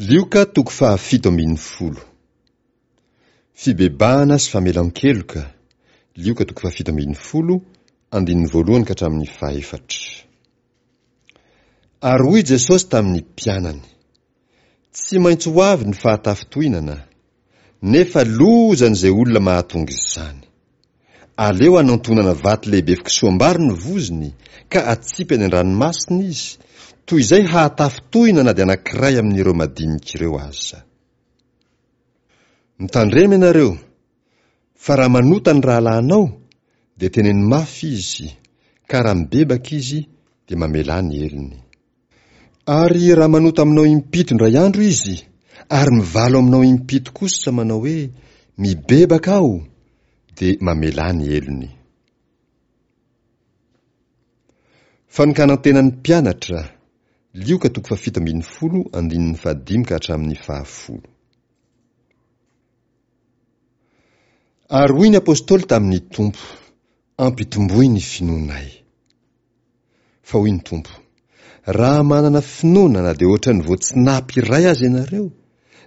Lioka toko fahafito ambin'ny folo. Fibebahana sy famelan-keloka, Lioka toko fahafito ambin'ny folo, andininy voalohany ka hatramin'ny fahefatra. Ary hoy Jesosy tamin'ny mpianany, Tsy maintsy ho avy ny fahatafintohinana, nefa lozan'izay olona mahatonga izany. Aleo hanantonana vato lehibe fikisoam-bary ny vozony ka atsipy any an-dranomasina izy, toy izay hahatafintohina na dia anankiray amin'ireo madinika ireo aza. Mitandrema ianareo, fa raha manota ny rahalahinao, dia teneno mafy izy, ka raha mibebaka izy, dia mamelà ny helony. Ary raha manota aminao impito indray andro izy, ary mivalo aminao impito kosa manao hoe, Mibebaka aho, dia mamelà ny helony. Fanokanan-tena ny mpianatra, Lioka toko fahafito ambin'ny folo andininy fahadimy ka hatramin'ny fahafolo. Ary hoy ny apostoly tamin'ny Tompo, Ampitomboy ny finoanay. Fa hoy ny Tompo, Raha manana finoana na dia hoatran'ny voatsinapy iray aza ianareo,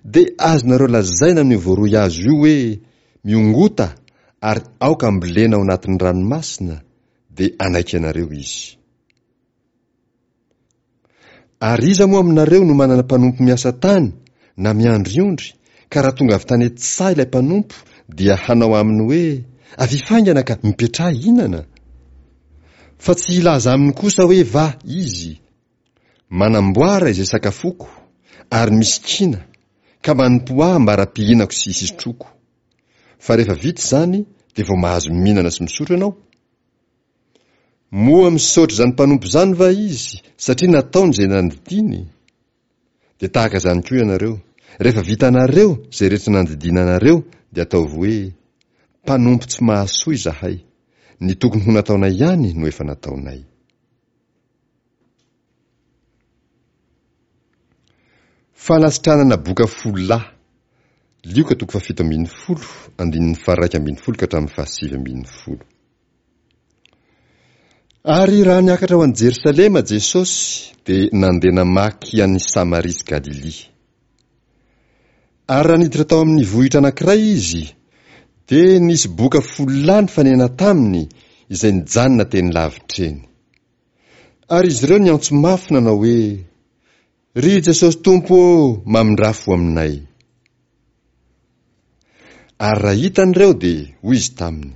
dia azonareo lazaina amin'io voaroy hazo io hoe, Miongota ary aoka ambolena ao anatin'ny ranomasina, dia hanaiky anareo izy. Ary iza moa aminareo no manana mpanompo miasa tany na miandry ondry, ka raha tonga avy tany an-tsaha ilay mpanompo dia hanao aminy hoe, Avia faingana ka mipetraha hihinana? Fa tsy hilaza aminy kosa hoe va izy, Manamboara izay sakafoko, ary misikina, ka manompoa ahy ambara-pihinako sy hisotroko. Fa rehefa vita izany dia vao mahazo mihinana sy misotro ianao? Moa misaotra izany mpanompo izany va izy satria nataony izay nandidiany? Dia tahaka izany koa ianareo, rehefa vitanareo izay rehetra nandidiana anareo dia ataovy hoe, Mpanompo tsy mahasoa izahay, ny tokony ho nataonay ihany no efa nataonay. Fanasitranana boka folo lahy, Lioka toko fahafito ambin'ny folo, andininy faharaika ambin'ny folo ka hatramin'ny fahasivy ambin'ny folo. Ary raha niakatra ho any Jerosalema Jesosy, dia nandeha namaky an'i Samaria sy Galilia. Ary raha niditra tao amin'ny vohitra anankiray Izy, dia nisy boka folo lahy nifanena taminy izay nijanona teny lavitra eny. Ary izy ireo niantso mafy nanao hoe, Ry Jesosy Tompo ô, mamindrà fo aminay. Ary raha hitany ireo dia hoy izy taminy,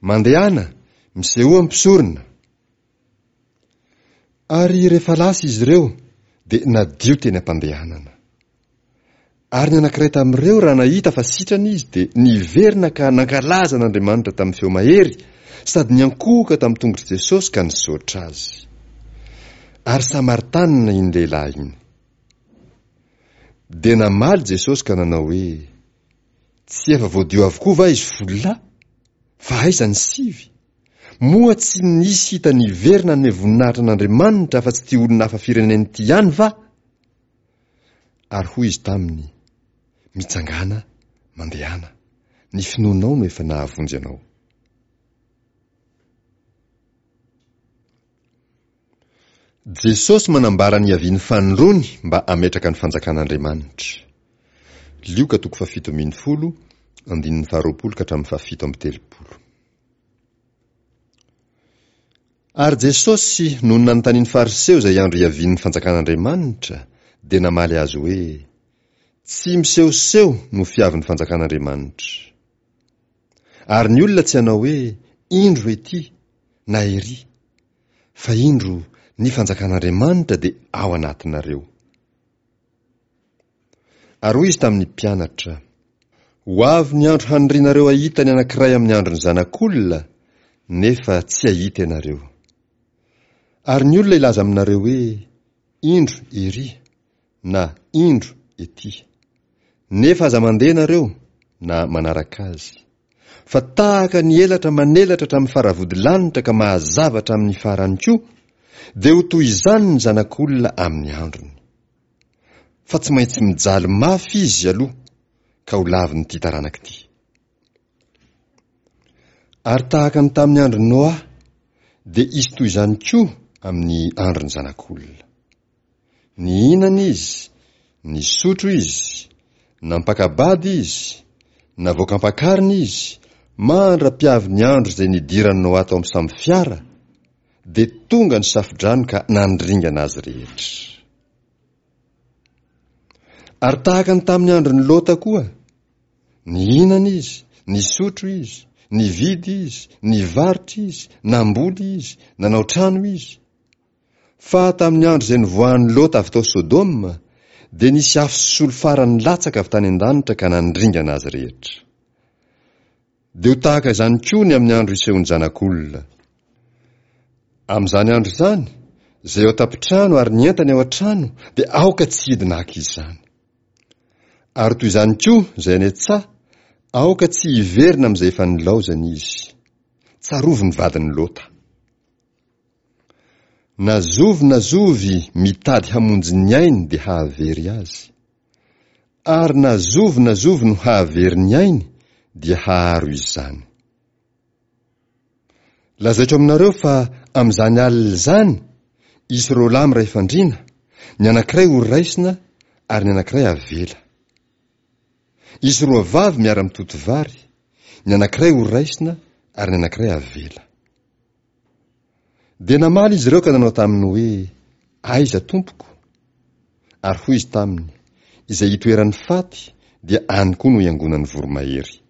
Mandehana, misehoa amin'ny mpisorona. Ary rehefa lasa izy ireo dia nadio teny am-pandehanana. Ary ny anankiray tamin'ireo raha nahita fa sitrana izy dia niverina ka nankalaza an'Andriamanitra tamin'ny feo mahery sady niankohoka tamin'ny tongotr'i Jesosy ka nisaotra azy. Ary Samaritanina iny lehilahy iny. Dia namaly Jesosy ka nanao hoe, Tsy efa voadio avokoa va izy folo lahy? Fa aiza ny sivy? Moa tsy nisy hita niverina hanome voninahitra an'Andriamanitra afa-tsy ity olona hafa firenena ity ihany va? Ary hoy izy taminy, Mitsangàna, mandehana, ny finoanao no efa nahavonjy anao. Jesosy manambara ny hiavian'ny fanindroany mba hametraka ny fanjakan'Andriamanitra. Lioka toko fahafito ambin'ny folo, andininy faharoapolo ka hatramin'ny fahafito amby telopolo. Ary Jesosy, nony nanontanian'ny Fariseo izay andro hiavian'ny fanjakan'Andriamanitra, dia namaly azy hoe, Tsy misehoseho no fiavin'ny fanjakan'Andriamanitra. Ary ny olona tsy hanao hoe, Indro ety, na ery. Fa indro, ny fanjakan'Andriamanitra dia ao anatinareo. Ary hoy izy tamin'ny mpianatra, Ho avy ny andro hanirianareo hahita ny anankiray amin'ny andron'ny Zanak'olona, nefa tsy hahita ianareo. Ary ny olona hilaza aminareo hoe, Indro ery, na Indro ety. Nefa aza mandeha ianareo, na manaraka azy. Fa tahaka ny elatra manelatra hatramin'ny faravodilanitra ka mahazava hatramin'ny farany koa, dia ho toy izany ny Zanak'olona amin'ny androny. Fa tsy maintsy mijaly mafy izy aloha ka ho lavin'ity taranaka ity. Ary tahaka ny tamin'ny andron'i Noa, dia hisy toy izany koa amin'ny andron'ny Zanak'olona. Nihinana izy, Nisotro izy, nampaka-bady izy, navoaka ampakarina izy, mandra-piavin'ny andro izay nidiran'i Noa tao amin'ny sambo-fiara, dia tonga ny safo-drano ka nandringana azy rehetra. Ary tahaka ny tamin'ny andron'i Lota koa, nihinana izy, nisotro izy, nividy izy, nivarotra izy, namboly izy, nanao trano izy. Fa tamin'ny andro izay nivoahan'i Lota avy tao Sodoma, dia nisy afo sy solifara nilatsaka avy tany an-danitra ka nandringana azy rehetra. Dia ho tahaka izany koa ny amin'ny andro hisehoan'ny Zanak'olona. Amin'izany andro izany, izay ao an-tampon-trano ary ny entany ao an-trano dia aoka tsy hidina haka izany. Ary toy izany koa izay any an-tsaha, aoka tsy hiverina amin'izay efa nilaozany izy. Tsarovy ny vadin'i Lota. Na zovy na zovy mitady hamonjy ny ainy dia hahavery azy. Ary na zovy na zovy no hahavery ny ainy dia haharo izany. Lazaiko aminareo fa amin'izany alina izany, hisy roalahy miray fandriana, ny anankiray ho raisina ary ny anankiray havela. Hisy roa vavy miara-mitoto vary, ny anankiray ho raisina ary ny anankiray havela. Dia namaly izy ireo ka nanao taminy hoe, Aiza, tompoko? Ary hoy izy taminy, Izay itoeran'ny faty, dia any koa no iangonan'ny voromahery.